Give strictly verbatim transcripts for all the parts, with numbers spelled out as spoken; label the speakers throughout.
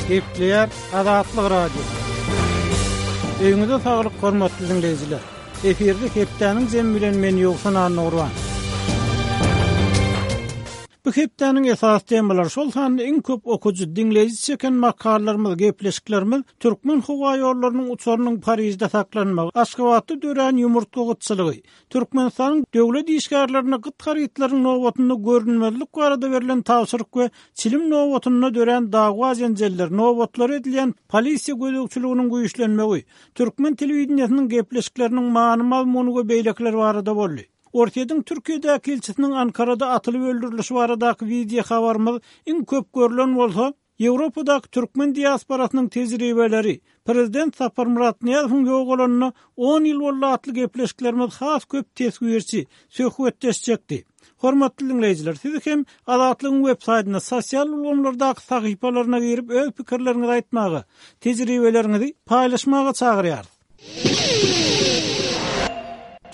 Speaker 1: Gepleýär Azatlyk Radiosy. Öýüňize saglyk hormatly diňleýjiler. Efirde hepdäniň jemi bilen men Ýowşan Annagurban. Bu hepdäniň esasy temalary şol sanda iň köp okujy, diňleýji çeken makalalarymyz, gepleşiklerimiz Türkmen howa ýollarynyň uçarynyň Parižde saklanmagy, Aşgabatda dörän ýumurtga gytçylygy, Türkmenistanyň döwlet işgärlerine gyt harytlaryň nobatynda görünmezlik barada berlen tabşyryk we çilim nobatynda dörän dawa jenjeller, nobatlar edilýän polisiýa gözegçiliginiň güýçlenmegi, türkmen telewideniýesiniň gepleşikleriniň many-mazmuny we beýlekiler barada boldy. Orsýetiň Türkiýedäki ilçisiniň Ankarada atylyp öldürilişi baradaky wideo habarymyz iň köp görülen bolsa, Ýewropadaky türkmen diasporasynyň tejribeleri, Prezident Saparmyrat Nyýazowyň ýogalanyna on ýyl boldy atly gepleşiklerimiz has köp teswirçi, söhbetdeş çekdi. Hormatly diňleýjiler, sizi hem Azatlygyň web saýtynda sosial ulgamlardaky sahypalaryna girip öz pikirleriňizi aýtmaga, tejribeleriňizi paýlaşmaga çagyrýarys.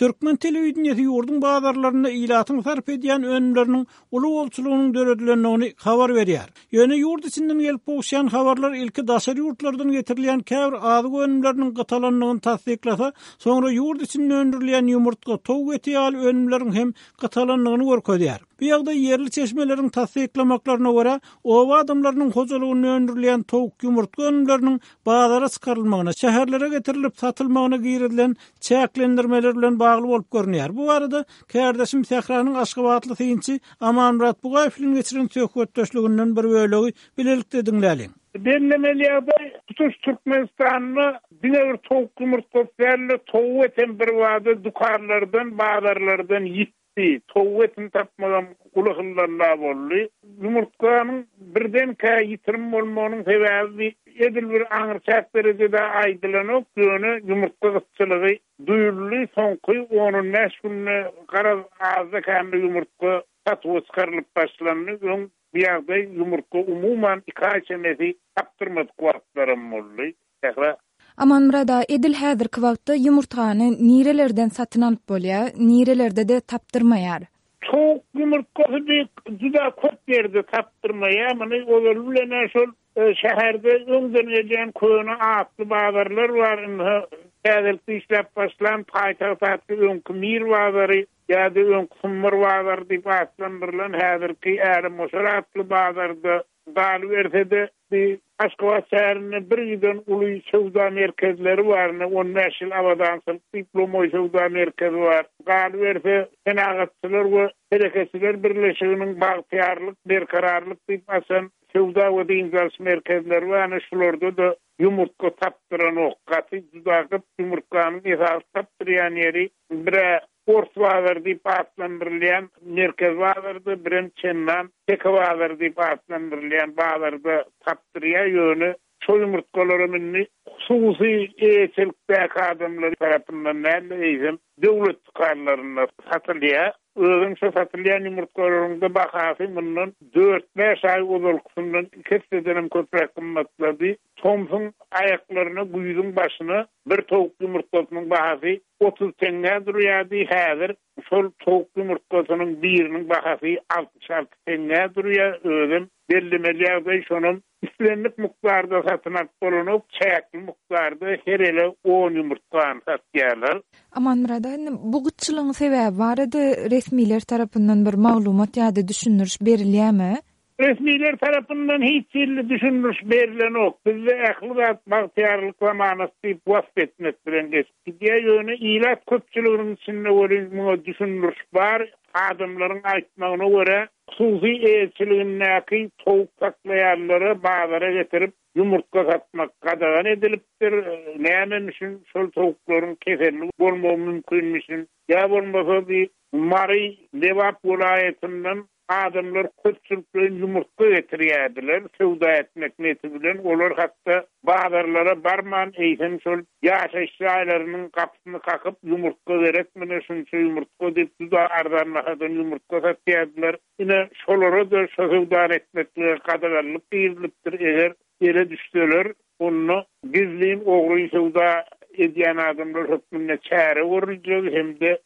Speaker 1: Türkmen telewideniýesi ýurduň bazarlarynda ilatyň sarp edýän önümleriniň uly bolçulygynyň döredilendigini habar berýär. Ýöne ýurt içinden gelip gowuşýan habarlar ilki daşary ýurtlardan getirilýän käbir azyk önümleriniň gytalandygyny tassyklasa, soňra ýurt içinde öndürilýän ýumurtga, towuk eti ýaly önümleriň hem gytalandygyny görkezýär. Bu ýagdaý ýerli çeşmeleriň tassyklamaklaryna görä, oba adamlarynyň hojalygynda öndürilýän towuk, ýumurtga önümleriniň bazara çykarylmagyna, şäherlere getirilip satylmagyna girizilen çäklendirmeler bilen bagly bolup görünýär. Bu barada kärdeşim Sähranyň Aşgabatly synçy Amanmyrat Bugaýew bilen geçiren söhbetdeşliginden bir bölegi bilelikde diňläliň.
Speaker 2: Bellemeli ýagdaý, tutuş Türkmenistanda diňe bir towuk ýumurtgasy däl-de, towuk etem bir bada dükanlardan, bazarlardan ýitdi. Towuk etini tapmagam uly hyllalla boldy. Ýumurtganyň birdenkä ýitirim bolmagynyň sebäbi edil bir aňryçäk derejede aýdylanok, ýöne ýumurtga gytçylygy duýuldy. Soňky on bäş günde garaz azda kände ýumurtga satuwa çykarylyp başlandy. Öň bu ýagdaý ýumurtga umuman iki aý çemesi tapdyrmadyk wagtlaram boldy. Sähra.
Speaker 3: Amanmyrat aga, edil häzirki wagtda ýumurtgany nirelerden satyn alyp bolýar, nirelerde-de tapdyrmaýar?
Speaker 2: Towuk ýumurtgasy bir juda köp ýerde tapdyrmaýar. Muny ozaly bilen şol, e, şäherde öňden gelýän köne atly bazarlar bar. Indi täzelikde işläp başlan paýtagt atly öňki Mir bazary ýa-da öňki Sumbar bazary diýip atlandyrylan häzirki Älemgoşar atly bazarda galyberse-de bir Aşgabat şäherinde bir giden uly söwda merkezleri bar. Ine, on bäş ýyl abadançylyk diýip lomaý söwda merkezi bar. Galyberse Senagatçylar we Telekeçiler Birleşiginiň Bagtyýarlyk, Berkararlyk diýip açan söwda we dynç alyş merkezleri bar. Ine, şularda-da ýumurtga tapdyranok. Gaty juda gyt ýumurtganyň esasy tapdyrýan ýeri bire Ors bazary diýip atlandyrylýan merkez bazarda, birem Çendan Teke bazary diýip atlandyrylýan bazarda tapdyrýar. Ýöne şo ýumurtgalara indi hususy eýeçilikdäki adamlar tarapyndan däl-de, eýsem döwlet dükanlarynda satylýar. Özüm şo satylýan ýumurtgalaryň bahasy mundan dört bäş aý ozalkysyndan iki essedenem köpräk gymmatlady. Tomsuň aýaklaryna, güýzüň başyna bir towuk ýumurtgasynyň bahasy otuz teňňä durýardy. Häzir şol towuk ýumurtgasynyň biriniň bahasy altmyş alty teňňä durýar. Özüm bellemeli ýagdaý şonam islendik mukdarda satyn alyp bolanok, çäkli mukdarda her ele on ýumurtgany satýarlar.
Speaker 3: Amanmyrat aga, indi bu gytçylygyň sebäbi barada resmiler tarapyndan bir maglumat ýa-da düşündiriş berilýärmi?
Speaker 2: Resmiler tarapyndan hiç hili düşündiriş berilenok. Bizde ähli zat bagtyýarlyk zamanasy diýip wasp etmek bilen geçip gidýär. Ýöne ilat köpçüliginiň içinde welin muňa düşündiriş bar. Adamlaryň aýtmagyna görä, hususy eýeçiligindäki towuk saklaýanlara bazara getirip ýumurtga satmak gadagan edilipdir. Nämemişin şol towuklaryň keselli bolmagy mümkinmişin? Ýa bolmasa bir Mary, Lebap welaýatyndan adamlar köpçülikleýin ýumurtga getirýärdiler, söwda etmek niyeti bilen. Olar hatda bazarlara barman, eýsem şol ýaşaýyş jaýlarynyň gapysyny kakyp, ýumurtga gerekmi, şunça ýumurtga diýip, juda arzan bahadan ýumurtga satýardylar. Ine, şolara da şo söwda etmeklige gadaganlyk girizilipdir. Eger ele düşseler, onda gizlin ogry söwda edýän adamlar hökmünde çäre görüljegi hem-de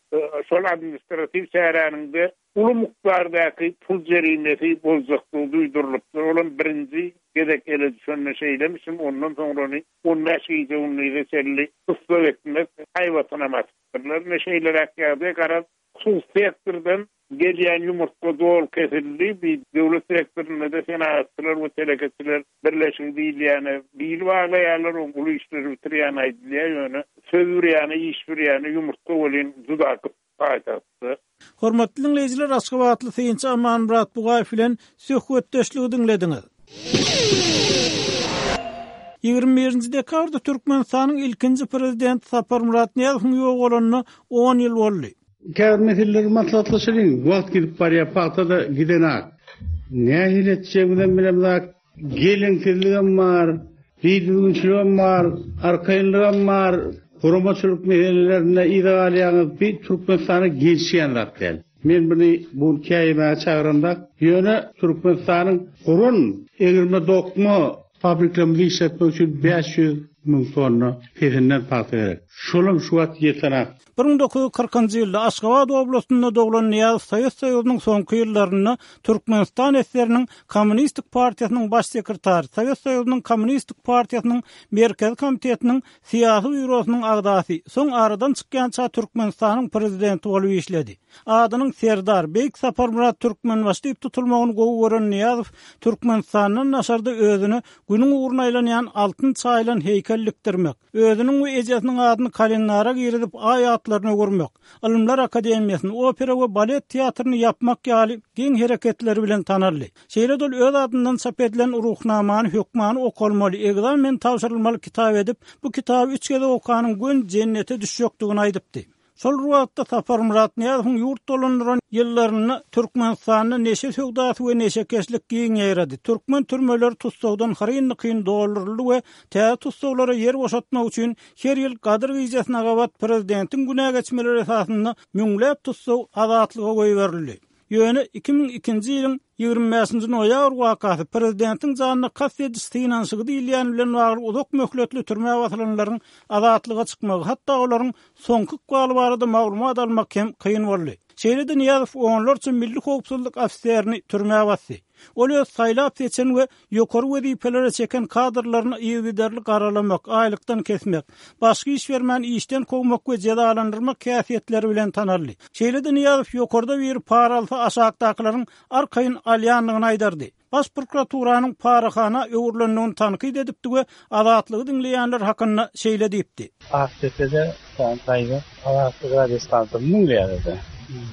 Speaker 2: şol administratiw çäräniň-de uly mukdardaky pul jerimesi boljakdygy duýdurylypdyr. Olam birinji gezek ele düşende şeýlemişin, ondan soňrany on bäş gije-gündize çenli tussag etmek haýbatynam atypdyrlar. Ine şeýleräk ýagdaý, garaz, hususy sektordan gelýän ýumurtga doly kesildi. Bir döwlet sektorynda-da senagatçylar we telekeçiler birleşigi diýilýäne bil baglaýarlar, oň uly işleri bitirýän aýdylýar, ýöne söz bir ýana, iş bir ýana, ýumurtga welin juda gyt paýtagtda.
Speaker 1: Hormatly diňleýjiler, Aşgabatly synçy Amanmyrat Bugaýew bilen söhbetdeşligi diňlediňiz. Ýigrimi birinji dekabrda Türkmenistanyň ilkinji prezidenti Saparmyrat Nyýazowyň ýogalanyna on ýyl boldy.
Speaker 4: Käbir meseleleri maslahatlaşalyň. Wagt gidip barýar, pagta-da gidenak. Nähili etjegimizem bilemzok. Geleňsizligem bar, bidüzgünçiligem bar, arkaýynlygam bar. Guramaçylyk meselelerinde yza galýaňyz, bir Türkmenistana gelişýän zat däl. Men bunu bu käýmäge çagyramdak. Ýöne Türkmenistanyň guran egirme dokma fabriklerimizi işletmek üçin bäş ýüz müň tonna pesinden pagta gerek. Şolam şu wagt ýetenak.
Speaker 1: Bir müň dokuz ýüz kyrkynjy ýylda Aşgabat oblastynda doglan Nyýazow Sowet Soýuzynyň soňky ýyllarynda Türkmenistan S S R'niň Kommunistik partiýasynyň baş sekretary, Sowet Soýuzynyň Kommunistik partiýasynyň Merkezi komitetiniň syýasy býurosynyň agzasy, soň aradan çykýança Türkmenistanyň prezidenti bolup işledi. Adynyň Serdar Beýik Saparmyrat Türkmenbaşy diýip tutulmagyny gowy gören Nyýazow Türkmenistandan daşarda özüne günüň ugruna aýlanýan altyn çaýylan heýkel dikdirmek, özüniň we ejesiniň adyny kalendara girizip aý atlaryny öwürmek, Ylymlar akademiýasyny, opera we balet teatryny ýapmak ýaly geň hereketleri bilen tanaldy. Şeýle-de ol öz adyndan çap edilen ruhnamany hökmany okalmaly, ekzamen tabşyrylmaly kitap edip, bu kitaby üç gezek okanyň gön jennete düşjekdigini aýdypdy. Şol wagtda Saparmyrat Nyýazowyň ýurt dolandyran ýyllarynda Türkmenistanda neşe söwdasy we neşekeşlik giň ýaýrady. Türkmen türmeleri tussagdan hyryn-dykyn dolduryldy we täze tussaglara ýer boşatmak üçin her ýyl Gadyr gijesine gabat prezidentiň günä geçmeleri esasynda müňläp tussag azatlyga goýberildi. Ýöne iki müň ikinji ýylyň ýigrimi bäşinji noýabr wakasy prezidentiň janyna kast ediş synanyşygy diýilýän bilen bagly uzak möhletli türmä basylanlaryň azatlyga çykmagy, hatda olaryň soňky ykbaly barada maglumat almak hem kyn boldy. Şeýle-de Nyýazow onlarça milli howpsuzlyk ofiserini türmä basdy. Ol öz saýlap seçen we ýokary wezipelere çeken kadrlaryny yzygiderli garalamak, aýlykdan kesmek, başga iş bermän işden kowmak we jezalandyrmak häsiýetleri bilen tanaldy. Şeýle-de Nyýazow ýokarda bir para alsa aşakdakylaryň arkaýyn alýandygyny aýdardy. Baş prokuraturanyň parahana öwrülendigini tankyt edipdi we azatlygy diňleýänler hakynda şeýle diýipdi.
Speaker 5: Aktepe'de sen daýy Azatlyk radiostansiýasyny diňleýärdi.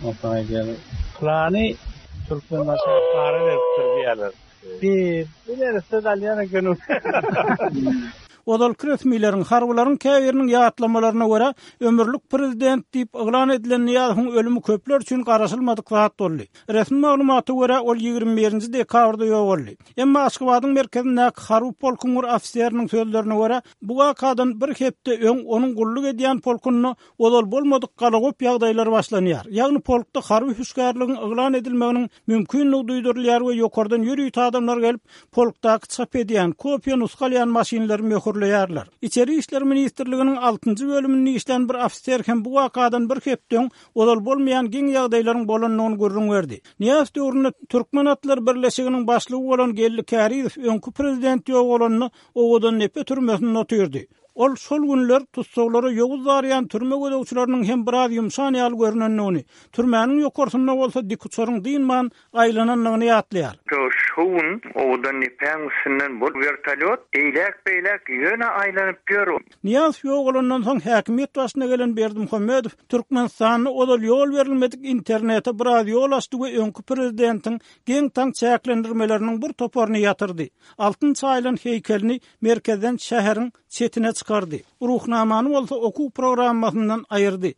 Speaker 5: Onsoň aýdýar, Plany Türkmenbaşy para beripdir diýýärler. Bir bilerse alýan eken.
Speaker 1: Ozalky resmileriň, harbylaryň käbiriniň ýatlamalaryna görä, ömürlik prezident diýip yglan edilen Nyýazowyň ölümi köpler üçin garaşylmadyk zat boldy. Resmi maglumata görä, ol ýigrimi birinji dekabrda ýogaldy. Emma Aşgabadyň merkezindäki harby polkuň bir ofiseriniň sözlerine görä, bu wakadan bir hepde öň onuň gulluk edýän polkunda ozal bolmadyk galagop ýagdaýlar başlanýar. Ýagny polkda harby hüşgärligiň yglan edilmeginiň mümkinligi duýdurylýar we ýokardan ýörite adamlar gelip, polkdaky çap edýän, kopiýa nusga alýan maşynlary möhürleýärler. Içeri işler ministrliginiň altynjy bölüminde işlän bir ofiser hem bu wakadan bir hepde öň ozal bolmaýan geň ýagdaýlaryň bolandygyny gürrüň berdi. Nyýazow döwründe Türkmen atlar birleşiginiň başlygy bolan Geldi Kärizow öňki prezident ýogalanyna Owadandepe türmesinde otyrdy. Ol şol günler tussaglara ýowuz darýan türme gözegçileriniň hem biraz ýumşan ýaly görünendigini, türmäniň ýokarsynda bolsa dik uçaryň dynman aýlanandygyny ýatlaýar.
Speaker 6: Şu gün Owadandepäň üstünden bu vertolyot eýläk-beýläk ýöne aýlanyp ýör.
Speaker 1: Nyýazow ýogalandan soň häkimiýet başyna gelen Berdimuhamedow Türkmenistanda ozal ýol berilmedik internete biraz ýol açdy we öňki prezidentiň geň-taň çäklendirmeleriniň bir toparyny ýatyrdy. Altyn çaýylan heýkelini merkezden şäheriň çetine çykardy. Ruhnamany bolsa okuw programmasyndan aýyrdy.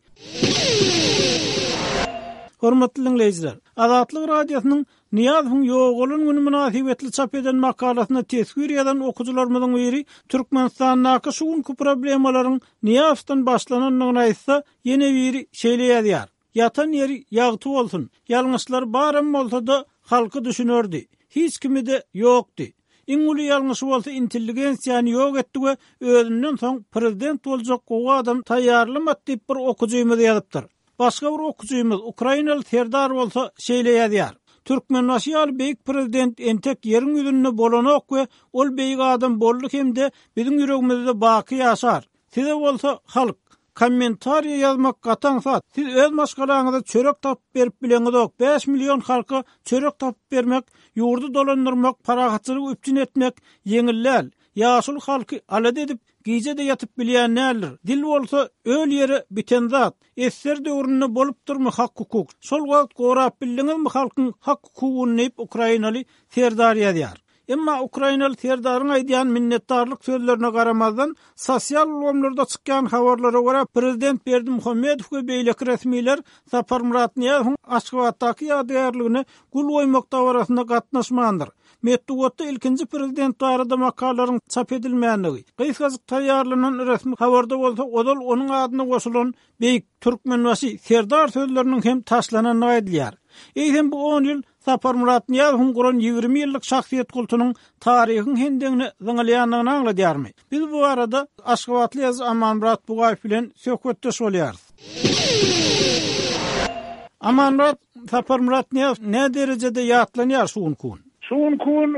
Speaker 1: Hormatly diňleýjiler, Azatlyk Radiosynyň Nyýazowyň ýogalan güni mynasybetli çap eden makalasyna teswir ýazan okyjylarymyzyň biri Türkmenistandaky şu günki problemalaryň Nyýazowdan başlanandygyny aýtsa, ýene biri şeýle ýazýar. Ýatan ýeri ýagty bolsun, ýalňyşlar baram bolsa-da halky düşünerdi. Hiç kimi-de ýokdy. Iň uly ýalňyşy bolsa intelligensiýany ýok etdi we özünden soň prezident boljak gowy adam taýýarlamady diýip bir okujymyz ýazypdyr. Başga bir okujymyz Ukrainaly Serdar bolsa şeýle ýazýar. Türkmenbaşy ýaly beýik prezident entek ýeriň ýüzünde bolanok we ol beýik adam boldy hem-de biziň ýüregimizde baky ýaşar. Size bolsa halk kommentariýa ýazmak gaty aňsat. Siz öz maşgalaňyza çörek tapyp berip bileňizok. bäş million halka çörek tapyp bermek, ýurdy dolandyrmak, parahatçylygy üpjün etmek ýeňil däl. Ýaşuly halky alada edip, gije-de ýatyp bilýän däldir. Dil bolsa öl ýere biten zat. Esser döwründe bolupdyrmy hak-hukuk? Şol wagt gorap bildiňizmi halkyň hak-hukugyny diýip Ukrainaly Serdar ýazýar. Emma Ukrainaly Serdaryň aýdýan minnetdarlyk sözlerine garamazdan, sosial ulgamlarda çykýan habarlara görä prezident Berdimuhamedow we beýleki resmiler Saparmyrat Nyýazowyň Aşgabatdaky ýadygärligine gül goýmak dabarasyna gatnaşmandyr. Metbugatda ilkinji prezident barada makalalaryň çap edilmändigi, gysgajyk taýýarlanan resmi habarda bolsa ozal onuň adyna goşulan Beýik Türkmenbaşy Serdar sözleriniň hem taşlanandygy aýdylýar. Eýsem bu on ýyl Saparmyrat Nyýazowyň guran ýigrimi ýyllyk şahsyýet kultunyň taryhyň hendegine zyňylýandygyny aňladýarmy? Biz bu barada Aşgabatly ýazyjy Amanmyrat Bugaýew bilen söhbetdeş bolýarys. Amanmyrat, Saparmyrat Nyýazow nä derejede ýatlanýar şu günki gün?
Speaker 2: Şu günki gün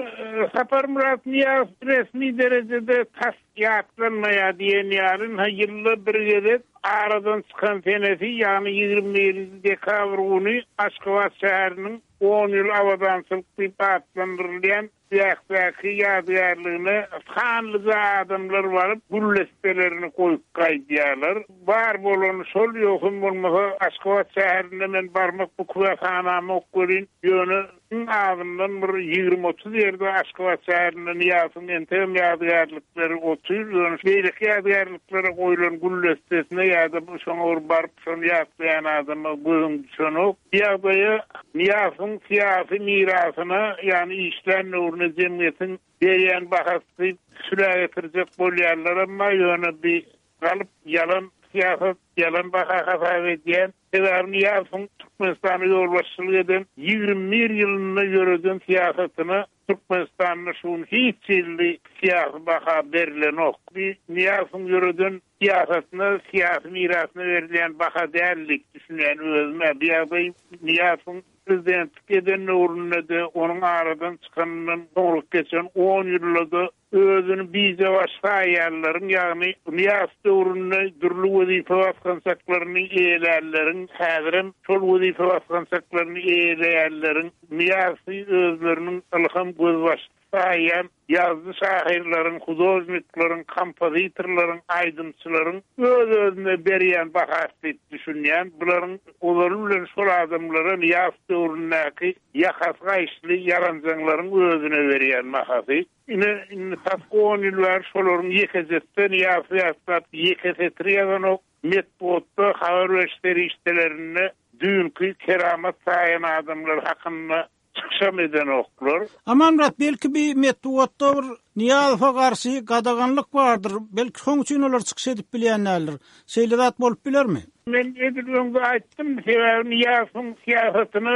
Speaker 2: Saparmyrat Nyýazow resmi derejede tas ýatlanmaýar diýen ýaly, ynha ýylda bir gezek aradan çykan senesi, ýagny ýigrimi birinji dekabr güni Aşgabat şäheriniň on ýyl abadançylyk diýip atlandyrylýan ýäkdäki ýadygärligine sanlyja adamlar baryp güllestelerini goýup gaýdýarlar. Bar bolany şol, ýogsam bolmasa Aşgabat şäherinde men barmak bu küwähanamok welin, ýöne iň azyndan bir ýigrimi otuz ýerde Aşgabat şäherinde Nyýazowyň entegem ýadygärlikleri otyr, ýöne beýleki ýadygärliklere goýlan güllestesine ýa-da şoňa bir baryp şony ýatlaýan adama gözüň düşenok. Bu ýagdaýa Nyýazowyň syýasy mirasyna, ýagny işlän döwrüne jemgyýetiň berýän bahasy sülä getirjek bolýarlar, emma ýöne bir galyp ýalan syýasat, ýalan baha hasap edýän. Sebäbi Nyýazowyň Türkmenistana ýolbaşçylyk eden ýigrimi bir ýylynda ýöreden syýasatyna Türkmenistanda şu gün hiç hili syýasy baha berilenok. Bir Nyýazowyň ýöreden syýasatyna, syýasy mirasyna berilýän baha däl diýip düşünýän özüme. Bu ýagdaý Nyýazowyň prezidentlik eden döwründe-de, onuň aradan çykanyndan soňra geçen on ýylda-da özüni bize baş saýýanlaryň, ýagny Nyýazow döwründe dürli wezipe basgançaklaryny eýelänleriň, häzirem şol wezipe basgançaklaryny eýeleýänleriň Nyýazowy özleriniň ylham gözbaşy saýýan ýazyjy şahyrlaryň, hudožnikleriň, kompozitorlaryň, aýdymçylaryň öz-özüne berýän bahasy diýip düşünýän. Bularyň ozaly bilen şol adamlara Nyýazow döwründäki ýakasy gaýyşly ýaranjaňlaryň özüne berýän bahasy. Ine, indi tas on ýyl bäri şolaryň ýekejesden Nyýazowy ýatlap ýeke setir ýazanok. Metbugatda habar beriş serişdelerinde düýnki keramat saýan adamlar hakynda çykyşam edenoklar.
Speaker 1: Amanmyrat, belki bir metbugatda bir Nyýazowa garşy gadaganlyk bardyr. Belki şoň üçin olar çykyş edip bilýänlerdir. Şeýle zat bolup bilermi?
Speaker 2: Men edil öňde aýtdym, sebäbi Nyýazowyň syýasatyna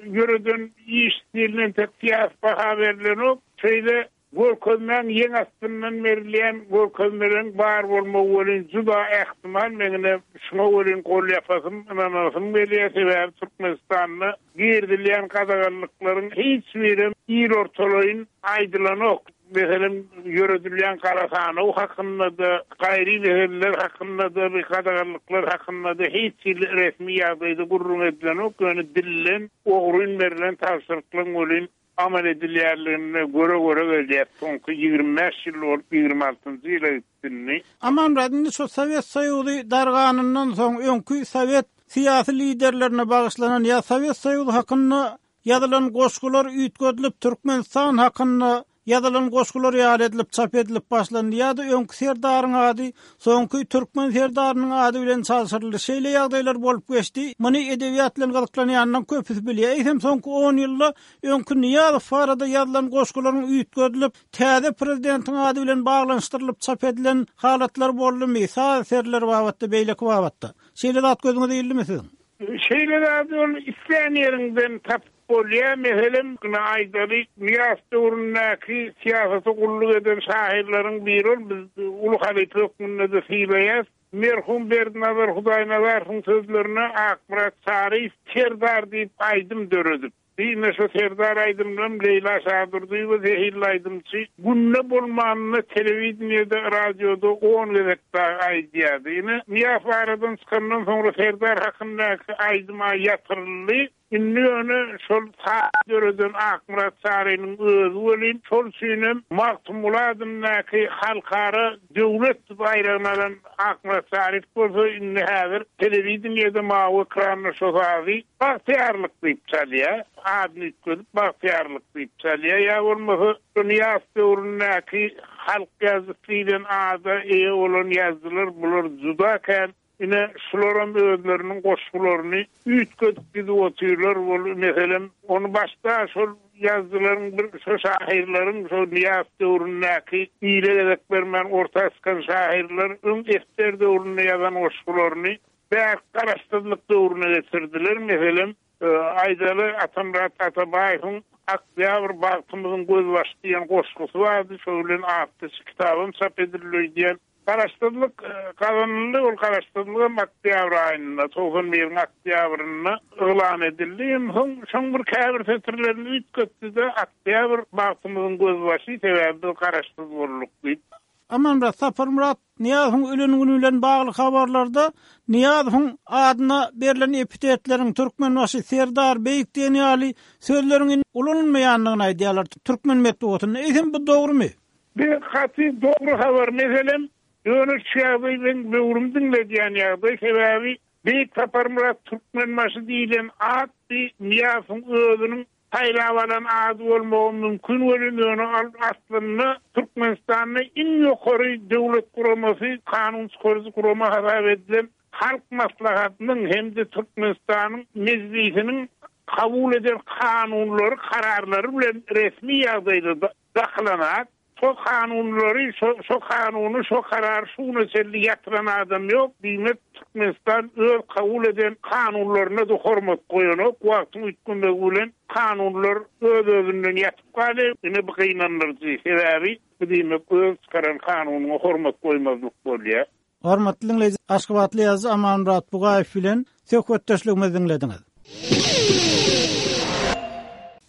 Speaker 2: ýöreden iş stilinden tek syýasy baha berilenok. Şeýle görkezmäň ýeň astyndan berilýän görkezmeleň bar bolmagy welin juda ähtimal, meňine şuňa welin gol ýapasym, ynanasym gelýär. Sebäbi Türkmenistanda girizilýän gadaganlyklaryň hiç biri il ortalaýyn aýdylanok. Meselem, ýöredilýän gara sanaw hakynda-da, gaýry meseleler hakynda-da, bir gadaganlyklar hakynda-da hiç hili resmi ýagdaýda gürrüň edilenok. Ýöne dillen ogryn berlen tabşyryklaryň welin amal edilýärligine göre-göre gelýär. Soňky ýigrimi bäş ýyl bolup ýigrimi altynjy ýyla gitdi.
Speaker 1: Amanmyrat, indi şu Sowet Soýuzy darganyndan soň öňki Sowet syýasy liderlerine bagyşlanan ýa Sowet Soýuzy hakynda ýazylan goşgular üýtgedilip Türkmenistan hakynda ýazylan goşgular ýaly edilip çap edilip başlandy ýa-da öňki Serdaryň ady soňky Türkmen Serdarynyň ady bilen çalşyryldy. Şeýle ýagdaýlar bolup geçdi. Muny edebiýat bilen gyzyklanýanlaryň köpüsi bilýär. Eýsem soňky on ýylda öňki Nyýazow barada ýazylan goşgularyň üýtgedilip täze prezidentiň ady bilen baglanyşdyrylyp çap edilen halatlar boldumy? Saz eserleri babatda, beýleki babatda. Şeýle zat gözüňize ildimi siziň?
Speaker 2: Şeýle zat ol islän ýeriňden tapyp bolýar. Meselem, ine aýdaly, Nyýazow döwründäki syýasata gulluk eden şahyrlaryň biri ol, biz uly halypa hökmünde-de sylaýas. Merhum Berdinazar Hudaýnazarowyň sözlerine Akmyrat Çaryýew Serdar diýip aýdym döredip. Ine şo Serdar aýdymynam Leýla Şadurdyýewa zehinli aýdymçy günde bolmanynda telewideniýede, radioda on gezek dagy aýdýardy. Ine Nyýazow aradan çykandan soňra Serdar hakyndaky aýdym-a ýatyryldy. Indi ýöne şol saz döreden Akmyrat Çarynyň özi welin şol üçinem Magtymguly adyndaky halkara döwlet baýragyny alan Akmyrat Çaryýew bolsa indi häzir telewideniýede mawy ekranda şo sazy Bagtyýarlyk diýip çalýar. Adyny üýtgedip Bagtyýarlyk diýip çalýar. Ýa bolmasa şo Nyýazow döwründäki halk ýazyjysy diýlen ada eýe bolan ýazyjylar bular juda kän. Ine şularam özleriniň goşgularyny üýtgedip gidip otyrlar. Ol meselem ony başda şol ýazyjylaryň bir şo şahyrlaryň şo Nyýazow döwründäki ile gezek bermän orta çykan şahyrlar öň esger döwründe ýazan goşgularyny bärik garaşsyzlyk döwrüne geçirdiler. Meselem, aýdaly Atamyrat Atabaýewiň Oktýabr bagtymyzyň gözbaşy diýen goşgusy bardy. Şo bilen atly kitabam çap edildi öýdýän. Garaşsyzlyk gazanyldy, ol garaşsyzlygam oktýabr aýynda, togsan biriň oktýabrynda yglan edildi. Hem soň şoň bir käbir setirlerini üýtgetdi-de, Oktýabr bagtymyzyň gözbaşy, sebäbi biz garaşsyz bolduk diýip.
Speaker 1: Amanmyrat Saparmyrat Nyýazowyň ölen güni bilen bagly habarlarda Nyýazowyň adyna berlen epitetleriň Türkmenbaşy, Serdar, Beýik diýen ýaly sözleriň indi ulanylmaýandygyny aýdýarlar türkmen metbugatynda. Eýsem bu dogrumy?
Speaker 2: Bu gaty dogry habar. Meselem, ýöne şu ýagdaý meň böwrümi diňledýän ýagdaý. Sebäbi Beýik Saparmyrat Türkmenbaşy diýlen at bi Nyýazowyň özüniň saýlap alan ady bolmagy mümkin welin, ýöne ol aslynda Türkmenistanda iň ýokary döwlet guramasy, kanun çykaryjy gurama hasap edilen Halk Maslahatynyň hem-de Türkmenistanyň Mejlisiniň kabul eden kanunlary, kararlary bilen resmi ýagdaýda dakylan at. Şo kanunlary, şo, şo kanuny, şo karary şu güne çenli ýatyran adam ýok. Diýmek, Türkmenistan öz kabul eden kanunlaryna-da hormat goýanok. Wagtyň üýtgemegi bilen kanunlar öz-özünden ýatyp galýar. Ine bu gynandyryjy. Sebäbi bu diýmek öz çykaran kanunyňa hormat goýmazlyk bolýar.
Speaker 1: Hormatly diňleýji, Aşgabatly ýazyjy Amanmyrat Bugaýew bilen söhbetdeşligimizi diňlediňiz.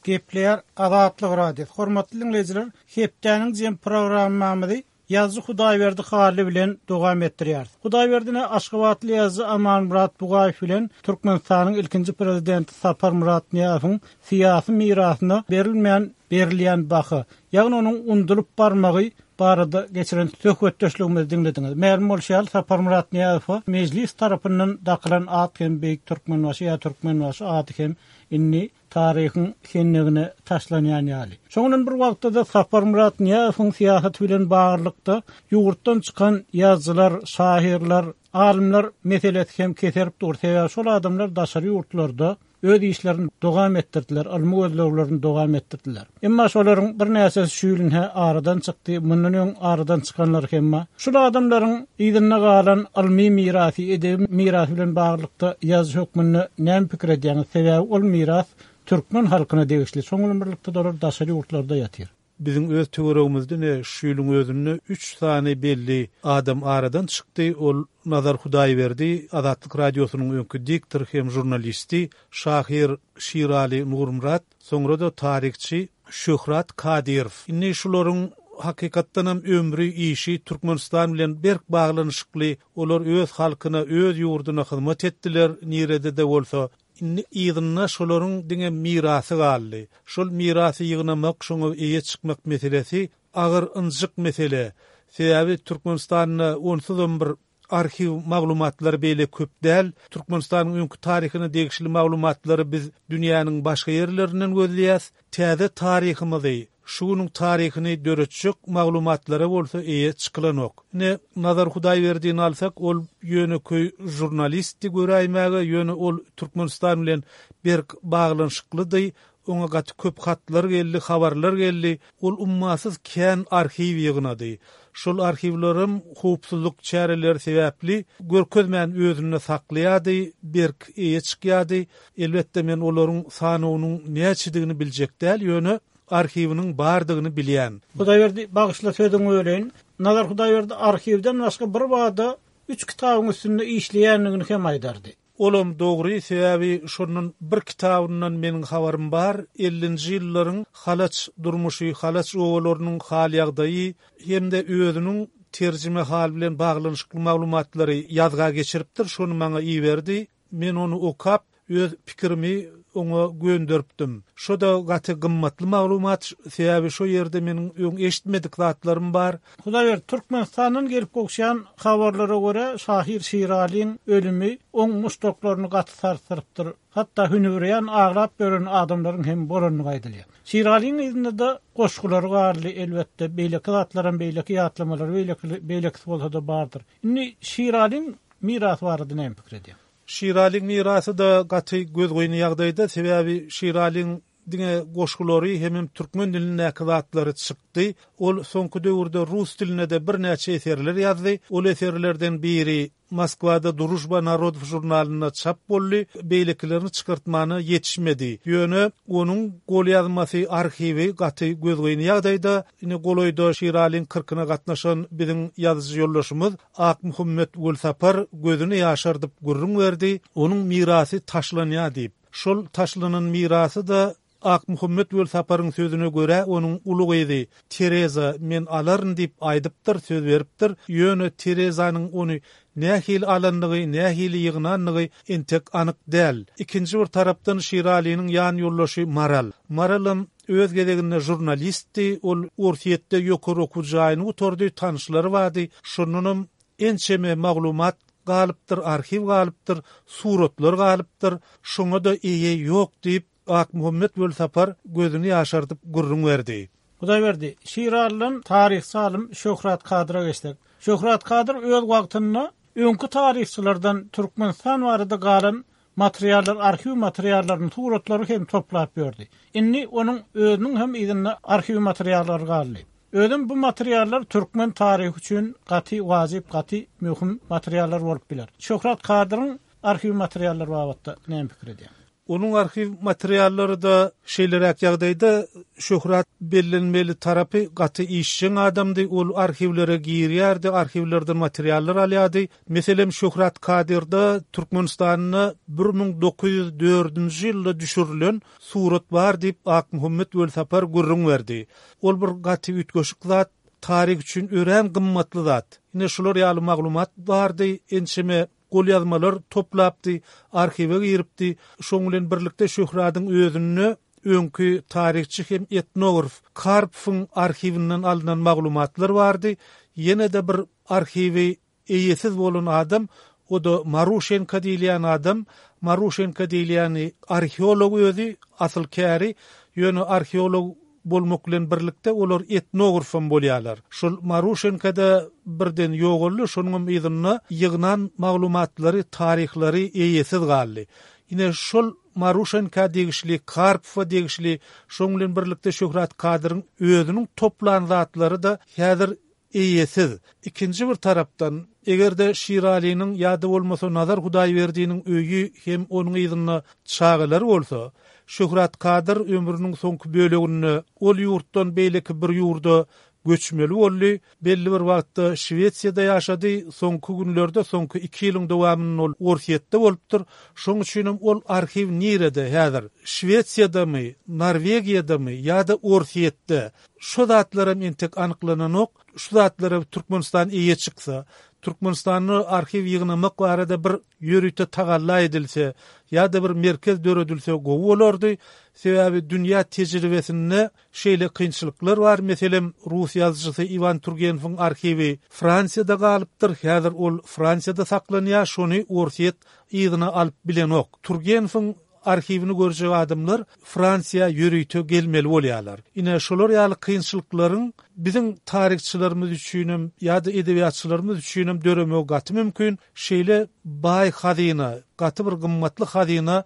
Speaker 1: Gepleýär Azatlyk Radiosy. Hormatly diňleýjiler, hepdäniň jem programmamyzy ýazyjy Hudaýberdi Hally bilen dowam etdirýäris. Hudaýberdine Aşgabatly ýazyjy Amanmyrat Bugaýew bilen Türkmenistanyň ilkinji prezidenti Saparmyrat Nyýazowyň syýasy mirasyna berilmeýän berilýän baha, ýagny onuň undulyp barmagy barada geçiren söhbetdeşligimizi diňlediňiz. Mälim bolşy ýaly Saparmyrat Nyýazowa mejlis tarapyndan dakylan at hem Beýik Türkmenbaşy ýa Türkmenbaşy ady hem indi taryhyň hennegine taşlanýan ýaly. Şonuň bir wagtda da Saparmyrat Nyýazowyň syýasaty bilen baglylykda ýurtdan çykan ýazyjylar, şahyrlar, alymlar meselesi hem keserip dur. Sebäbi şol adamlar daşary ýurtlarda öz işlerini dowam etdirdiler, ylmy gözleglerini dowam etdirdiler. Emma şolaryň birnäçesi şu ýylyn aradan çykdy, mundan öň aradan çykanlar hem bar. Şul adamlaryň yzynda galan ylmy mirasy, edebi mirasy bilen baglylykda ýazyjy hökmünde näme pikir edýäňiz? Sebäbi ol miras türkmen halkyna degişli. Şonuň birlikde olar daşary ýurtlarda ýatyr.
Speaker 7: Biziň öz töweregimizde ne şu ýylyň özünde üç sany belli adam aradan çykdy. Ol Nazar Hudaýberdi, Azatlyk Radiosynyň öňki diktory hem žurnalisti, şahyr Şirali Nurmyrat, soňra da taryhçy Şöhrat Kadyrow. Indi şularyň hakykatdan hem ömri, işi Türkmenistan bilen berk baglanyşykly, olar öz halkyna, öz ýurduna hyzmat etdiler, nirede-de bolsa. Indi yzynda şolaryň diňe mirasy galdy. Şol mirasy ýygnamak, şoňa eýe çykmak meselesi agyr ynjyk mesele. Sebäbi Türkmenistanda onsuzam bir arhiw maglumatlary beýle köp däl. Türkmenistanyň öňki taryhyna degişli maglumatlary biz dünýäniň başga ýerlerinden gözleýäs. Täze taryhymyzy, şu günüň taryhyny döretjek maglumatlara bolsa eýe çykylanok. Ine Nazar Hudaýberdini alsak, ol ýöneköý žurnalistdi göräýmäge, ýöne ol Türkmenistan bilen berk baglanyşyklydy. Oňa gaty köp hatlar geldi, habarlar geldi. Ol ummasyz kän arhiw ýygnady. Şol arhiwlerem howpsuzlyk çäreleri sebäpli görkezmän özünde saklaýardy, berk eýe çykýardy. Elbetde men olaryň sanynyň näçedigini biljek däl, ýöne arhiwiniň bardygyny bilýän.
Speaker 1: Hudaýberdi, bagyşla sözüňi böleýin. Nazar Hudaýberdi arhiwden başga bir bada üç kitabyň üstünde işleýändigini hem aýdardy.
Speaker 7: Olam dogry, sebäbi şondan bir kitabyndan meniň habarym bar. Ellinji ýyllaryň Halaç durmuşy, Halaç obalarynyň hal-ýagdaýy hem-de özüniň terjimehal bilen baglanyşykly maglumatlary ýazga geçiripdir, şony maňa iberdi. Men ony okap, öz pikirimi oňa gönderipdim. Şo-da gaty gymmatly maglumat, sebäbi şo ýerde meniň öň eşitmedik zatlarym bar.
Speaker 1: Hudaýberdi, Türkmenistandan gelip gowuşýan habarlara görä, şahyr Şiralyň ölümi oň muşdaklaryny gaty sarsdyrypdyr. Hatda hünübirýan aglap ýören adamlaryň hem bolandygy aýdylýar. Şiralyň yzynda-da goşgulary galdy, elbetde, beýleki zatlaram, beýleki ýatlamalar, beýleki, beýlekisi bolsa-da bardyr. Indi Şiralyň mirasy barada näme pikir edýäň?
Speaker 7: Şiralyň mirasy-da gaty gözgyny ýagdaýda, sebäbi Şiralyň diňe goşgulary hemem türkmen dilindäki zatlary çykdy. Ol soňky döwürde rus dilinde-de birnäçe eserler ýazdy. Ol eserlerden biri Moskwada Družba narodow žurnalynda çap boldy, beýlekilerini çykartmana ýetişmedi. Ýöne onuň golýazmasy, arhiwi gaty gözgyny ýagdaýda. Indi golaýda Şiralyň kyrkyna gatnaşan biziň ýazyjy ýoldaşymyz Akmuhammet Welsapar gözüni ýaşardyp gürrüň berdi, onuň mirasy taşlanýar diýip. Şol taşlanan mirasy-da Akmuhammet Welsaparyň sözüne görä, onuň uly gyzy Tereza men alaryn diýip aýdypdyr, söz beripdir. Ýöne Terezanyň ony nähili alandygy, nähili ýygnandygy entek anyk däl. Ikinji bir tarapdan Şiralynyň ýan ýoldaşy Maral. Maralam öz gezeginde žurnalistdi, ol Orsýetde ýokary okuw jaýyny gutardy, tanyşlary bardy. Şondanam ençeme maglumat galypdyr, arhiw galypdyr, suratlar galypdyr. Şoňa-da eýe ýok diýip, Akmuhammet Welsapar gözüni ýaşardyp gürrüň berdi.
Speaker 1: Hudaýberdi, Şiralydan taryhçy alym Şöhrat Kadyra geçsek. Şöhrat Kadyr öz wagtynda öňki taryhçylardan Türkmenistan barada galan materiallar, arhiw materiallaryny, suratlary hem toplap ýördi. Indi onuň özüniň hem yzynda arhiw materiallary galdy. Özüm bu materiallar türkmen taryhy üçin gaty wajyp, gaty möhüm materiallar bolup biler. Şöhrat Kadyryň arhiw materiallary babatda näme pikir edýäň?
Speaker 7: Onuň arhiw materiallary-da şeýleräk ýagdaýda, Şöhrat bellenmeli tarapy gaty işjeň adamdy, ol arhiwlere girýärdi, arhiwlerden materiallar alýardy. Meselem, Şöhrat Kadyrda Türkmenistanda bir müň dokuz ýüz dördünji ýylda düşürilen surat bar diýip Akmuhammet Welsapar gürrüň berdi. Ol bir gaty üýtgeşik zat, taryh üçin örän gymmatly zat. Ine şular ýaly maglumat bardy, ençeme golýazmalar toplapdy, arhiwe giripdi. Şoň bilen birlikde Şöhradyň özünde öňki taryhçy hem etnograf Karpowyň arhiwinden alnan maglumatlar bardy. Ýene-de bir arhiwi eýesiz bolan adam, o-da Maruşenko diýilýän adam. Maruşenko diýilýäni arheolog özi, asyl käri, ýöne arheolog bolmak bilen birlikde olar etnografam bolýarlar. Şol Maruşenko-da birden ýogaldy, şonuň yzynda ýygnan maglumatlary, taryhlary eýesiz galdy. Ine şol Maruşenko degişli, Karpowa degişli, şonuň bilen birlikde Şöhrat Kadyryň özüniň toplan zatlary-da häzir eýesiz. Ikinji bir tarapdan, eger-de Şiralynyň ýa-da bolmasa Nazar Hudaýberdiniň öýi hem onuň yzynda çagalary bolsa, Şöhrat Kadyr ömrüniň soňky böleginde ol ýurtdan beýleki bir ýurda göçmeli boldy. Belli bir wagtda Şwesiýada ýaşady, soňky günlerde, soňky iki ýylyň dowamynda ol Orsýetde bolupdyr. Şoň üçinem ol arhiw nirede häzir? Şwesiýadamy, Norwegiýadamy ýa-da Orsýetde? Şo zatlaram entek anyklananok. Şu zatlara Türkmenistan eýe çyksa, Türkmenistanda arhiw ýygnamak barada bir ýörite tagalla edilse ýa-da bir merkez döredilse gowy bolardy. Sebäbi dünýä tejribesinde şeýle kynçylyklar bar. Meselem, rus ýazyjysy Iwan Turgenewiň arhiwi Fransiýada galypdyr. Häzir ol Fransiýada saklanýar, şony Orsýet yzyna alyp bilenok. Turgenewiň arhiwini görjek adamlar Fransiýa ýörite gelmeli bolýarlar. Ine şolar ýaly kynçylyklaryň biziň taryhçylarymyz üçinem ýa-da edebiýatçylarymyz üçinem döremegi gaty mümkin. Şeýle baý hazyna, gaty bir gymmatly hazyna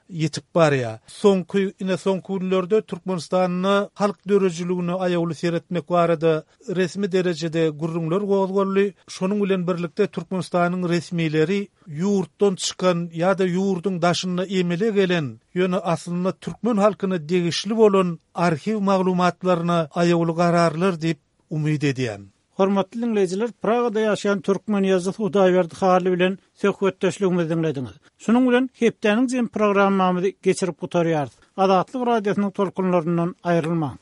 Speaker 7: ýetip barýar. Soňky, ine soňky günlerde Türkmenistanda halk döredijiligine aýawly seretmek barada resmi derejede gürrüňler gozgaldy. Şonuň bilen birlikde Türkmenistanyň resmileri ýurtdan çykan ýa-da ýurduň daşynda emele gelen, ýöne aslynda türkmen halkyna degişli bolan arhiw maglumatlaryna aýawly gararlar diýip umyt edýän.
Speaker 1: Hormatly diňleýjiler, Pragada ýaşaýan türkmen ýazyjysy Hudaýberdi Hally bilen söhbetdeşligimizi diňlediňiz. Şunuň bilen hepdäniň jem programmamyzy geçirip gutarýarys. Azatlyk Radiosynyň tolkunlaryndan aýrylmaň.